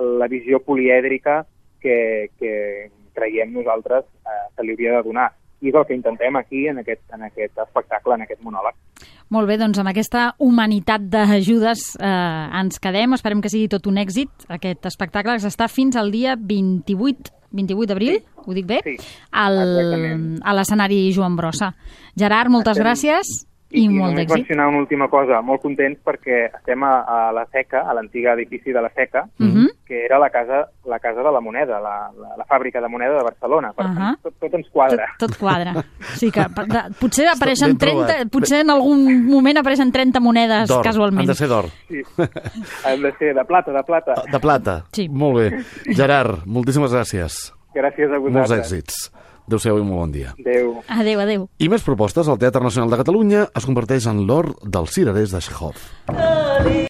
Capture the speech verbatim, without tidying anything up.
la visió polièdrica que, que creiem nosaltres eh, se li hauria de donar. I és el que intentem aquí, en aquest, en aquest espectacle, en aquest monòleg. Molt bé, doncs amb aquesta humanitat d'ajudes eh, ens quedem. Esperem que sigui tot un èxit, aquest espectacle, que s'està fins al dia vint-i-vuit d'abril, sí. Ho dic bé? Sí, al, a l'escenari Joan Brossa. Gerard, moltes estem... gràcies. I, I molt d'èxit. I només mencionar una última cosa, molt contents perquè estem a, a la Seca, a l'antiga edifici de la Seca, uh-huh. que era la casa, la casa de la moneda, la, la, la fàbrica de moneda de Barcelona. Per uh-huh. tant, tot, tot ens quadra. Tot, tot quadra. Sí que de, potser apareixen trenta, potser en algun moment apareixen trenta monedes casualment. Han de ser d'or. Sí, han de ser de plata, de plata. De plata, sí. Molt bé. Gerard, moltíssimes gràcies. Gràcies a vosaltres. Molts èxits. Adéu-siau i molt bon dia. Adéu. Adéu, adéu. I més propostes. El Teatre Nacional de Catalunya es converteix en l'or dels cirerers de Chekhov.